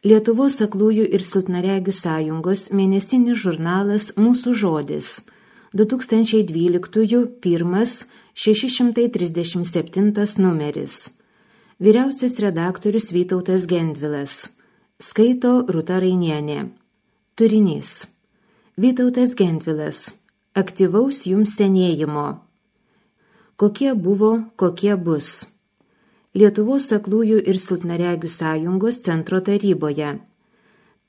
Lietuvos aklųjų ir silpnaregių sąjungos mėnesinis žurnalas Mūsų žodis 2012 1 637 numeris. Vyriausias redaktorius Vytautas Gendvilas. Skaito Rūta Rainienė. Turinys. Vytautas Gendvilas. Aktyvaus jums senėjimo. Kokie buvo, kokie bus. Lietuvos aklųjų ir silpnaregių sąjungos centro taryboje.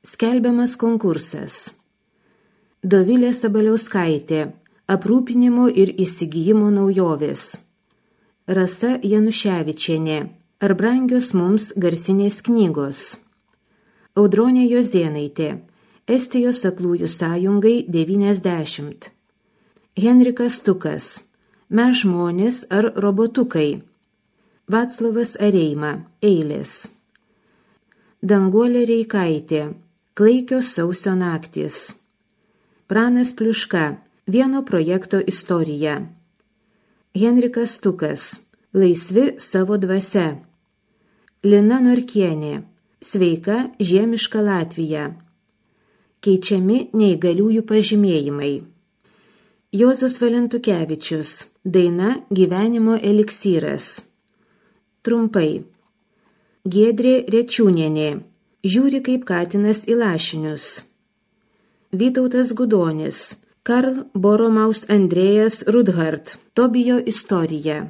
Skelbiamas konkursas. Dovilė Sabaliauskaitė. Aprūpinimo ir įsigijimo naujovės. Rasa Januševičienė. Ar brangios mums garsinės knygos. Audronė Jozėnaitė. Estijos aklųjų sąjungai 90. Henrikas Tukas. Mes žmonės ar robotukai. Vaclovas Areima. Eilės. Danguolė Reikaitė. Klaikios sausio naktys. Pranas Pliuška. Vieno projekto istorija. Henrikas Tukas. Laisvi savo dvasia. Lina Norkienė. Sveika žiemiška Latvija. Keičiami neįgaliųjų pažymėjimai. Juozas Valentukevičius. Daina Gyvenimo eliksyras. Trumpai. Giedrė Rečiūnienė. Žiūri kaip katinas į lašinius. Vytautas Gudonis. Karl Boromaus Andrėjas Rudhart. Tobijo istorija.